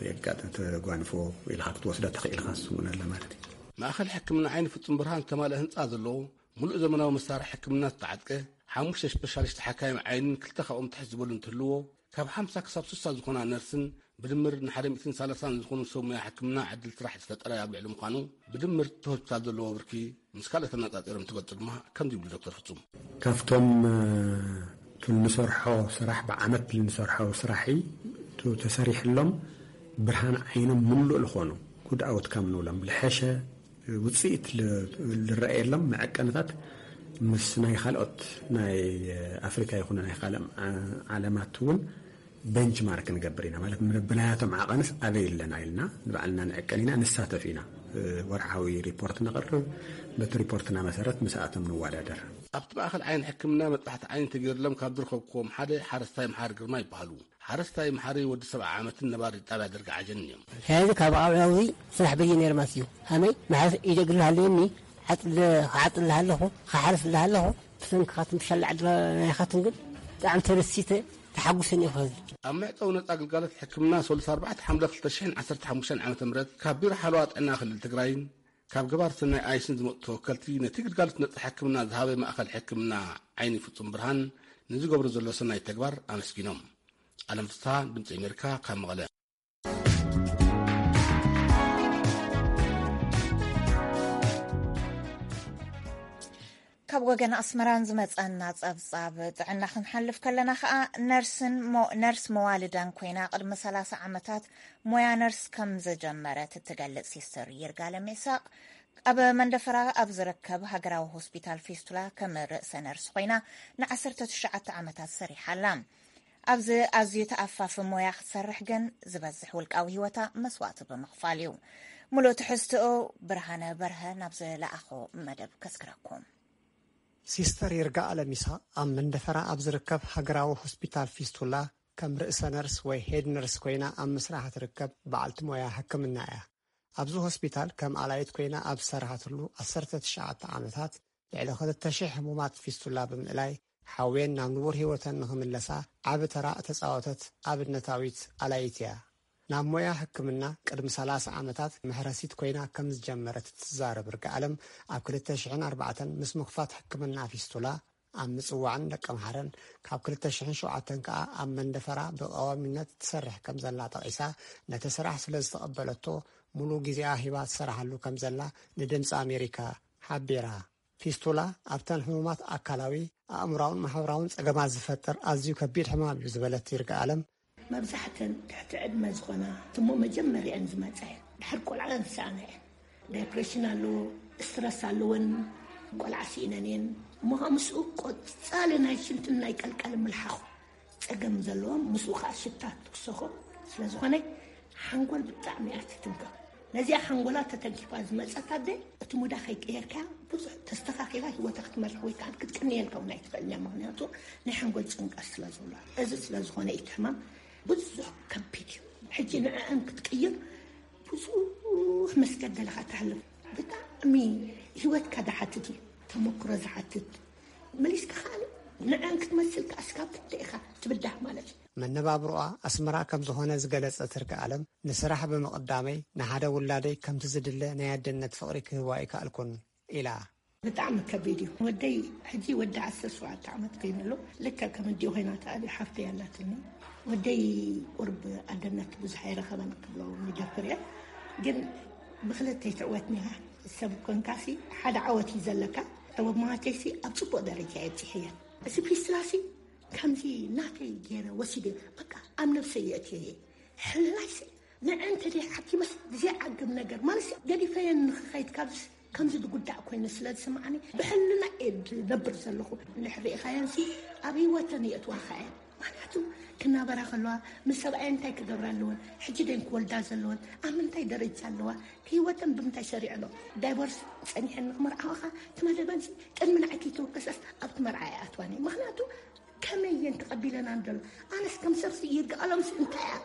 የጋጥም ተጓንፎ ኢልኻ ክትወስዶ ተኽኢልካ ስሙን ኣለ ማለት እዩ። ማእኸል ሕክምና ዓይኒ ፍጹም ብርሃን ዝተማልአ ህንጻ ዘለዎ፣ ሙሉእ ዘመናዊ መሳርሒ ሕክምና ዝተዓጥቀ፣ ሓሙሽተ ስፔሻሊስት ሓካይም ዓይንን ክልተ ካብኦም ትሕት ዝበሉ እንትህልዎ፣ ካብ ሓምሳ ክሳብ ስሳ ዝኾና ነርስን ብድምር ንሓደ ሚእትን ሰላሳን ዝኾኑ ሰብ ሞያ ሕክምና ዕድል ስራሕ ዝፈጠረ ኣብ ልዕሊ ምዃኑ፣ ብድምር እቲ ሆስፒታል ዘለዎ ብርኪ ምስ ካልኦት ኣነጻጺሮም እንትገልጹ ድማ ከምዚ ይብሉ ዶክተር ፍጹም። ካብቶም እ፣ እቱ እንሰርሖ ስራሕ፣ ብዓመት እንሰርሖ ስራሕ እዩ። እቱ ተሰሪሕሎም ብርሃን ዓይኖም ምሉእ ዝኾኑ ጉድ ኣውትካም ንብሎም፣ ልሐሸ ውፅኢት ል- ልረኣየሎም መዐቀንታት ምስ ናይ ካልኦት ናይ ኣፍሪካ ይኹን ናይ ካልእ ዓ- ዓለማት እውን ቤንችማርክ ንገብር ኢና። ማለት ብናያቶም ዓቐንስ ኣበይ ኣለና ኢልና ንባዕልና ንዕቀን ኢና፣ ንሳተፍ ኢና። ወርሓዊ ሪፖርት ነቕርብ፣ በቲ ሪፖርትና መሰረት ምስኣቶም ንወዳደር። ኣብቲ ማእኸል ዓይኒ ሕክምና መጥባሕቲ ዓይኒ ተገይርሎም ካብ ዝረኸብኩዎም ሓደ ሓረስታይ መሓሪ ግርማ ይበሃሉ። ሓረስታይ መሓሪ ወዲ ሰብዓ ዓመትን ነባሪ ጣብያ ደርጋ ዓጀንን እዮም። ሕዚ ካብ ኣብያዊ ስራሕ በየ ነይርማስ እዩ ሃመይ መሓስ ኢደግል ሃለየኒ ዓፅለ ክዓፅል ኣለኹ፣ ክሓርስ ኣለኹ። ብሰንኪ ካትም ብሻላ ዓዲ ናይኻትን ግን ብጣዕሚ ተደሲተ ተሓጉሰን እዩ። ከዚ ኣብ መዕፀዊ ነፃ ግልጋሎት ሕክምና ሰሉስ ኣርባዕተ ሓምለ ክልተ ሽሕን ዓሰርተ ሓሙሽተን ዓመተ ምህረት ካብ ቢሮ ሓለዋ ጥዕና ክልል ትግራይን ካብ ገባር ሰናይ ኣይስን ዝመፁ ተወከልቲ ነቲ ግልጋሎት ነፃ ሕክምና ዝሃበ ማእኸል ሕክምና ዓይኒ ፍፁም ብርሃን ንዝገብሮ ዘሎ ሰናይ ተግባር ኣመስጊኖም። ኣለም ፍስሃ፣ ድምፂ ኣሜሪካ፣ ካብ መቐለ። ካብ ወገን ኣስመራን ዝመጸና ጸብጻብ ጥዕና ክንሓልፍ ከለና ከኣ፣ ነርስን ሞ- ነርስ መዋልዳን ኮይና ቅድሚ ሰላሳ ዓመታት ሞያ ነርስ ከም ዝጀመረት እትገልጽ ሲስተር ይርጋለም ኢሳቕ፣ ኣብ መንደፈራ ኣብ ዝርከብ ሃገራዊ ሆስፒታል ፊስቱላ ከም ርእሰ ነርስ ኮይና ንዓሰርተ ትሽዓተ ዓመታት ሰሪሓ ኣላ። ኣብዚ ኣዝዩ ተኣፋፊ ሞያ ክትሰርሕ ግን ዝበዝሕ ውልቃዊ ህይወታ መስዋእቲ ብምኽፋል እዩ። ሙሉእ ትሕዝትኡ ብርሃነ በርሀ ናብ ዝለኣኾ መደብ ከስክረኩም። ሲስተር ይርጋኣለም ኢሳቕ ኣብ መንደፈራ ኣብ ዝርከብ ሃገራዊ ሆስፒታል ፊስቱላ ከም ርእሰ ነርስ ወይ ሄድ ነርስ ኮይና ኣብ ምስራሕ ትርከብ በዓልቲ ሞያ ሕክምና እያ። ኣብዚ ሆስፒታል ከም ኣላይት ኮይና ኣብ ዝሰርሓትሉ ዓሰርተ ትሽዓተ ዓመታት ልዕሊ ክልተ ሽሕ ሕሙማት ፊስቱላ ብምእላይ ሓውየን ናብ ንቡር ህይወተን ንኽምለሳ ዓቢ ተራ እተጻወተት ኣብነታዊት ኣላይት እያ። ናብ ሞያ ሕክምና ቅድሚ ሰላሳ ዓመታት መሕረሲት ኮይና ከም ዝጀመረት እትዛረብ ርግኣለም ኣብ ክልተ ሽሕን ኣርባዕተን ምስ ምኽፋት ሕክምና ፊስቱላ ኣብ ምጽዋዕን ደቀምሓረን ካብ ክልተ ሽሕን ሸውዓተን ከኣ ኣብ መንደፈራ ብቐዋሚነት ትሰርሕ ከም ዘላ ጠቒሳ ነቲ ስራሕ ስለ ዝተቐበለቶ ሙሉ ግዜኣ ሂባ ትሰርሓሉ ከም ዘላ ንድምፂ ኣሜሪካ ሓቢራ። ፊስቱላ ኣብተን ሕሙማት ኣካላዊ፣ ኣእምራውን ማሕበራውን ጸገማት ዝፈጥር ኣዝዩ ከቢድ ሕማም እዩ ዝበለት ይርጋኣለም፣ መብዛሕተን ትሕቲ ዕድመ ዝኾና እሞ መጀመርያን ዝመጻ እየን። ድሕር ቆልዓ ዝሰኣና እየን። ዳይፕሬሽን ኣለዎ፣ ስትረስ ኣለወን፣ ቆልዓ ስኢነን እየን። እሞ ከዓ ምስኡ ቆጻሊ ናይ ሽንትን ናይ ቀልቀል ምልሓኹ ጸገም ዘለዎም፣ ምስኡ ከዓ ሽታ ትክሰኾ ስለ ዝኾነ ሓንጎል ብጣዕሚ እያ ትትንከፍ። ነዚኣ ሓንጎላ ተተንኪፋ ዝመጸት ኣደ እቲ ሙዳ ከይቀየርካያ ብዙሕ ተስተኻኺላ ህይወታ ክትመርሕ ወይ ከዓ ክትቅንየልካ እውን ኣይትኽእልን እያ። ምኽንያቱ ናይ ሓንጎል ጭንቀት ስለ ዘሎ፣ እዚ ስለ ዝኾነ እዩ እቲ ሕማም ብዙሕ ከቢድ እዩ። ሕጂ ንዕአን ክትቅይር ብዙሕ መስገደል ኢኻ ተሕልፍ። ብጣዕሚ ህይወትካ ዝሓትት እዩ፣ ተመክሮ ዝሓትት። መሊስካ ከዓ ንዕአን ክትመስል ከዓ እስካብ ክንደይ ኢኻ ትብዳህ ማለት እዩ። መነባብሮኣ ኣስመራ ከም ዝኾነ ዝገለጸት ርግኣለም፣ ንስራሕ ብምቕዳመይ ንሓደ ውላደይ ከምቲ ዝድለ ናይ ኣደነት ፍቕሪ ክህባ ኣይከኣልኩን ኢላ። ብጣዕሚ ከቢድ እዩ። ወደይ ሕጂ ወዲ ዓሰርተ ሸውዓተ ዓመት ኮይኑ ኣሎ። ልክዕ ከም ኣዲኡ ኮይና ተኣልዩ ሓፍተይ ኣላትኒ። ወደይ ቁርብ ኣደነት ብዙሕ ኣይረኸበን ክብሎ ይደፍር እየ። ግን ብክልተ ይትዕወት ነይራ። ሰብ ኮንካሲ ሓደ ዓወት እዩ ዘለካ። ኣብ ማተይሲ ኣብ ጽቡቕ ደረጃ እየ ኣብጺሐየ። እዚ ፊስትላሲ ከምዚ ናተይ ገይረ ወሲደ በቃ ኣብ ነብሰይ የእትየ እየ። ሕልናይሲ ንዕንተ ደይ ሓኪመስ ዘይዓግብ ነገር ማለት ገዲፈየን ንኽኸይድ ካብዚ ከምዚ ዝጉዳእ ኮይኑ ስለ ዝስምዓኒ ብሕልና እየ ዝነብር ዘለኹ። እንድሕር ርኢኻየንሲ ኣብ ህይወተን የእትዋኻ እየን። ምኽንያቱ ክናበራ ከለዋ ምስ ሰብኣየን እንታይ ክገብራ ኣለወን፣ ሕጂ ደን ክወልዳ ዘለወን፣ ኣብ ምንታይ ደረጃ ኣለዋ፣ ህይወተን ብምንታይ ሰሪዐ ኣሎ። ዳይቮርስ ጸኒሐን ንክመርዓወኻ እቲ መደበንሲ ቅድሚ ንዓይ ከይተወከሰስ ኣብቲ መርዓ ኣይኣትዋን እየ። ምኽንያቱ ከመይ እየን ተቐቢለናን ዘሎ? ኣነስ ከም ሰብሲ ይርግኣሎምስ እንታይ እያ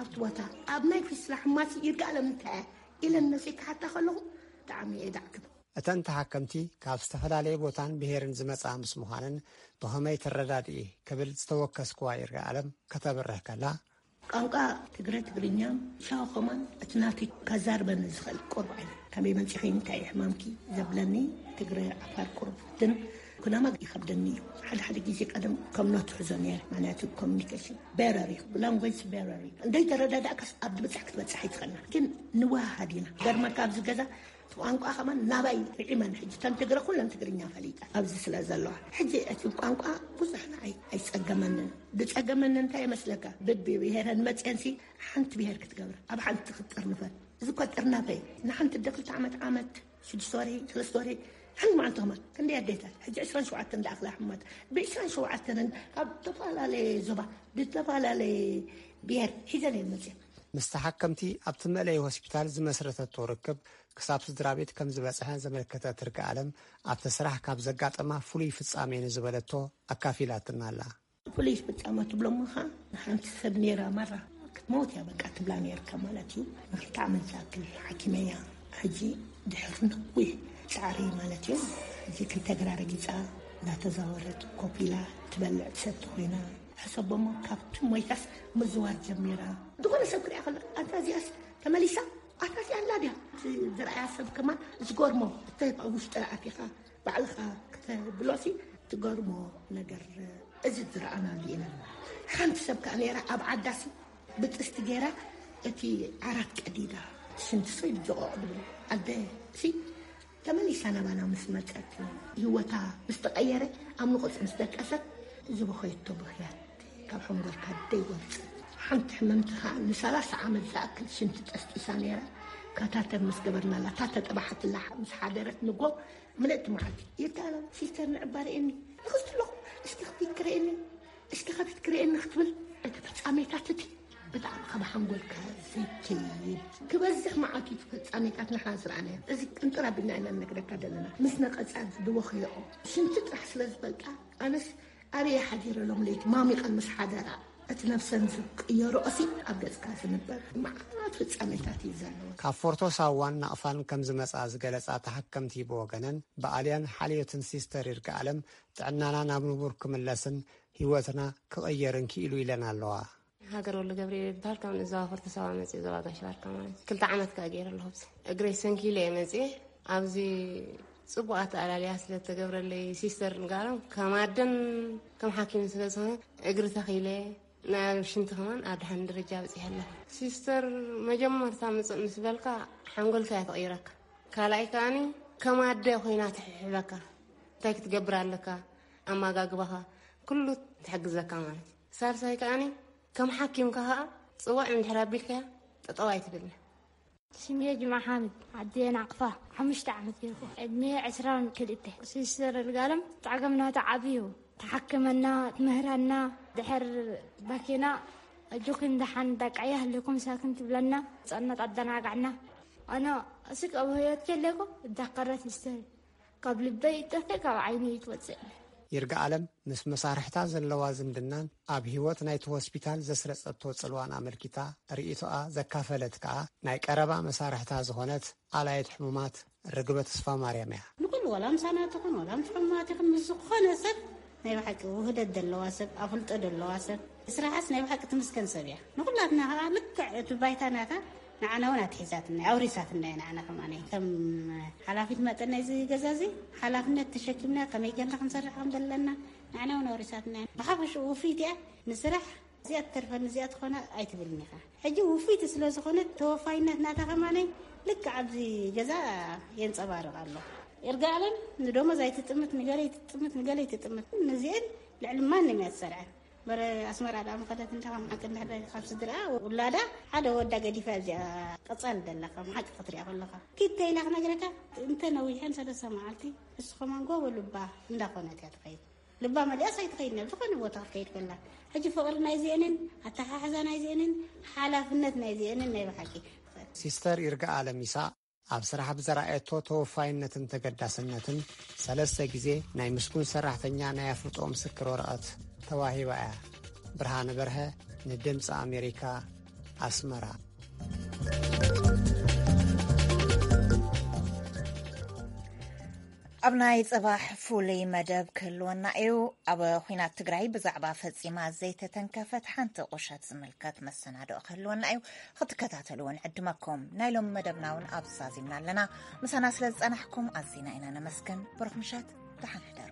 ኣብቲ ቦታ ኣብ ናይ ፊስላ ሕማሲ ይርግኣሎም እንታይ እያ ኢለን ነብሰይ ክሓታ ከለኹ ብጣዕሚ እየ ዳዕግብ። እተን ተሓከምቲ ካብ ዝተፈላለየ ቦታን ብሄርን ዝመጻ ምስ ምዃነን ብኸመይ ትረዳድኢ ክብል ዝተወከስክዋ ይርግኣለም ከተብርህ ከላ፣ ቋንቋ ትግረ ትግርኛ ሻው ከማን እቲ ናተይ ከዛርበኒ ዝኽእል ቁሩብ ዓይነት ከመይ መጺኺ እንታይ እዩ ሕማምኪ ዘብለኒ ትግረ ዓፋር ቁሩብ ግን ኩናማ ይኸብደኒ እዩ። ሓደ ሓደ ግዜ ቀደም ከም ኖት ሕዞ ነይረ፣ ማለት ኮሚኒኬሽን በረር እዩ፣ ላንጉጅ በረር እዩ። እንደይ ተረዳዳእካስ ኣብ ድብጻሕ ክትበጽሕ ኣይትኽእልና፣ ግን ንወሃሃድ ኢና። ገርመካ ኣብዚ ገዛ እቲ ቋንቋ ከማን ናባይ ርዒመን፣ ሕጂ ተን ትግረ ኩለን ትግርኛ ፈሊጠ ኣብዚ ስለ ዘለዋ፣ ሕጂ እቲ ቋንቋ ብዙሕ ንዓይ ኣይጸገመንን። ዝጸገመኒ እንታይ ይመስለካ? ብብሄረን መጽየንሲ ሓንቲ ብሄር ክትገብር፣ ኣብ ሓንቲ ክትጥርንፈን። እዚ እኮ ጥርናፈ እዩ። ንሓንቲ ደ ክልተ ዓመት ዓመት ሽዱሽተ ወርሒ፣ ሰለስተ ወርሒ፣ ሓንቲ መዓልቲ ከማን። ክንደይ ኣዴታት፣ ሕጂ ዕስራን ሸውዓተን ዝኣኽላ ሕሙማት፣ ብ ዕስራን ሸውዓተን ካብ ዝተፈላለየ ዞባ፣ ዝተፈላለየ ብሄር ሒዘን እየን መፅየን። ምስ ተሓከምቲ ኣብቲ መእለዪ ሆስፒታል ዝመስረተቶ ርክብ ክሳብ ስድራ ቤት ከም ዝበፅሐ ዘመልከተት ርግኣለም፣ ኣብቲ ስራሕ ካብ ዘጋጠማ ፍሉይ ፍጻሜ ንዝበለቶ ኣካፊላትና ኣላ። ፍሉይ ፍጻመ ትብሎሞ ኸዓ ንሓንቲ ሰብ ነይራ ማራ ክትመውት እያ በቃ ትብላ ነይርካ ማለት እዩ። ንክልተ ዓመት ዝኣክል ሓኪመያ። ሕጂ ድሕሪ ነዊሕ ጻዕሪ ማለት እዩ፣ ሕጂ ክልተ እግራ ረጊጻ፣ እናተዛወረት ኮፍ ኢላ ትበልዕ ትሰቲ ኮይና። ሕሰቦሞ ካብቲ ሞይታስ ምዝዋር ጀሚራ። ዝኾነ ሰብ ክሪኣ ከሎ ኣታ እዚኣስ ተመሊሳ፣ ኣታ እዚኣ ኣላ ድያ? እቲ ዝረኣያ ሰብ ከማን ዝገርሞ፣ እቲ ኣብ ውሽጢ ኣቲኻ ባዕልኻ ክትብሎሲ ትገርሞ ነገር። እዚ ዝረኣናሉ ኢና። ሓንቲ ሰብ ከኣ ነይራ ኣብ ዓዳሲ ብጥስቲ ገይራ እቲ ዓራት ቀዲዳ ሽንቲ ሰይ ጆቆቕ ድብል ኣደ ሲ ተመሊሳ ናባና ምስ መጸት፣ ህይወታ ምስ ተቐየረ፣ ኣብ ንቑጽ ምስ ደቀሰት፣ ዝበኸየቶ ብኽያት ካብ ሓንጎልካ ደይወጽእ። ሓንቲ ሕምምቲ ከኣ ንሰላሳ ዓመት ዝኣክል ሽንቲ ጠስጢሳ ነይራ። ካታተር ምስ ገበርናላ፣ እታ ተጠባሓትላ ምስ ሓደረት ንጎ ምልእቲ መዓልቲ ይርዳእና። ሲስተር ንዕባ ርእየኒ፣ ንኽስቲ ኣለኹ፣ እስኪ ከፊት ክርእየኒ፣ እስኪ ከፊት ክርእየኒ ክትብል፣ እቲ ፍጻሜታት እቲ ብጣዕሚ ካብ ሓንጎልካ ዘይከይድ ክበዝሕ መዓልቲ፣ እቲ ፍጻሜታት ንሕና ዝረኣናዮ። እዚ ቅንጥር ኣቢልና ኢና ንነግረካ ዘለና። ምስ ነቐጻ ዝበኸየኦ ሽንቲ ጥራሕ ስለ ዝፈልጣ፣ ኣነስ ኣበይ ሓዲረ ሎም ለይቲ ማሚቐን ምስ ሓደራ፣ እቲ ነፍሰን ዝቅየሮ እሲ ኣብ ገጽካ ዝንበር መዓት ፍጻሜታት እዩ ዘለዎ። ካብ ፎርቶ ሳዋን ናቕፋን ከም ዝመጻ ዝገለጻ ተሓከምቲ ብወገነን፣ ብኣልያን ሓልዮትን ሲስተር ይርጋ ኣለም ጥዕናና ናብ ንቡር ክምለስን ህይወትና ክቕየርን ክኢሉ ኢለን ኣለዋ። ሃገር ወሉ ገብርኤል ይበሃል። ካብ ንዛዋ ፎርቶ ሳዋ መጽእ፣ ዞባ ጋሽ ባርካ ማለት እዩ። ክልተ ዓመት ከኣ ገይረ ኣለኹ። ኣብዚ እግረይ ሰንኪለ እየ መጽእ። ኣብዚ ጽቡቕ ኣተኣላልያ ስለ እተገብረለይ ሲስተር ንጋሎም ከም ኣደን ከም ሓኪምን ስለ ዝኾነ፣ እግሪ ተኺለ፣ ናይ ሽንቲ ከማን ኣብ ደሓን ደረጃ በጺሐ ኣለኹ። ሲስተር መጀመርታ ምጽእ ምስ በልካ ሓንጎልካ እያ ተቐይረካ። ካልኣይ ከኣኒ ከም ኣደ ኮይና ትሕብሕበካ። እንታይ ክትገብር ኣለካ፣ ኣመጋግባኻ፣ ኩሉ ትሕግዘካ ማለት እዩ። ሳልሳይ ከኣኒ ከም ሓኪምካ ከኣ ጽዋዕ እንድሕር ኣቢልካያ ጠጠው ኣይትብልን። ስሜ ጅማ ሓምድ፣ ዓዲ ናቕፋ፣ ሓሙሽተ ዓመት ገይርኩ። ዕድሜ ዕስራን ክልተ። ሲስተር እርጋለም ጻዕገም ናታ ዓብዩ። ተሓክመና፣ ትምህረና፣ ድሕር ባኪና፣ "እጆክን ደሓን ዳቃያ ህልኩም ሳክን" ትብለና፣ ጸነት ኣደናጋዕና። ኣነ እስክ ኣብ ህይወት ከለኩ እዳከረት ሲስተር፣ ካብ ልበይ ይጠፍእ፣ ካብ ዓይነይ ይትወጽእ። ይርጋ ኣለም ምስ መሳርሕታ ዘለዋ ዝምድናን ኣብ ህይወት ናይቲ ሆስፒታል ዘስረጸቶ ጽልዋን ኣመልኪታ ርእይቶኣ ዘካፈለት ከኣ ናይ ቀረባ መሳርሕታ ዝኾነት ኣላየት ሕሙማት ርግበ ተስፋ ማርያም እያ። ንኩሉ ዋላ ምሳና ትኹን ዋላ ምስ ሕሙማት ይኹን ምስ ዝኾነ ሰብ ናይ ብሓቂ ውህደት ዘለዋ ሰብ፣ ኣፍልጦ ዘለዋ ሰብ፣ ስራሓስ ናይ ብሓቂ ትምስገን ሰብ እያ። ንኩላትና ከኣ ልክዕ እቲ ባይታ ናታ ንዓና እውን ኣትሒዛትና፣ ኣውሪሳትና እያ። ንዓና ከማን ከም ሓላፊት መጠን ናይዚ ገዛ እዚ ሓላፍነት ተሸኪምና ከመይ ጌርና ክንሰርሕ ከም ዘለና ንዓና እውን ኣውሪሳትና እያ። ብሓፈሽኡ ውፍይቲ እያ። ንስራሕ እዚኣ ትተርፈኒ እዚኣ ትኾነ ኣይትብልን ኢኻ። ሕጂ ውፍይቲ ስለ ዝኾነት ተወፋይነት ናታ ከማን ልክዕ ኣብዚ ገዛ የንጸባርቕ ኣሎ። ይርጋ ኣለም ንደሞዝ ኣይትጥምት፣ ንገለ ኣይትጥምት፣ ንገለ ኣይትጥምት። ንዚአን ልዕሊ ማንም እያ ትሰርዐን። በረ ኣስመራ ደኣ ምኸደት እንተ ከም ሓቂ እንድሕር ካብ ስድራ ውላዳ ሓደ ወዳ ገዲፋ እዚኣ ቀጻሊ ደላ ከም ሓቂ ክትሪኣ ከለኻ። ኪድ ተይላ ክነግረካ እንተ ነዊሐን ሰለስተ መዓልቲ ንሱ ከማን ጎቦ ልባ እንዳኾነት እያ ትኸይድ። ልባ መሊኣስ ኣይትኸይድን እያ፣ ዝኾነ ቦታ ክትከይድ ከላ። ሕጂ ፍቕሪ ናይዚአንን ኣተሓሕዛ ናይዚአንን ሓላፍነት ናይዚአንን ናይ ብሓቂ። ሲስተር ይርጋ ኣለም ይስሐቅ ኣብ ስራሕ ብዘርኣየቶ ተወፋይነትን ተገዳስነትን ሰለስተ ግዜ ናይ ምስጉን ሰራሕተኛ ናይ ኣፍልጦ ምስክር ወረቐት ተዋሂባ እያ። ብርሃነ በርሀ ንድምፂ ኣሜሪካ ኣስመራ። ኣብ ናይ ጽባሕ ፍሉይ መደብ ክህልወና እዩ። ኣብ ኲናት ትግራይ ብዛዕባ ፈጺማ ዘይተተንከፈት ሓንቲ ቁሸት ዝምልከት መሰናድኦ ክህልወና እዩ። ክትከታተልዎ ንዕድመኩም። ናይ ሎሚ መደብና እውን ኣብዚ ዛዚምና ኣለና። ምሳና ስለ ዝጸናሕኩም ኣዚና ኢና ነመስግን። ብሩኽ ምሸት፣ ደሓን ሕደሩ።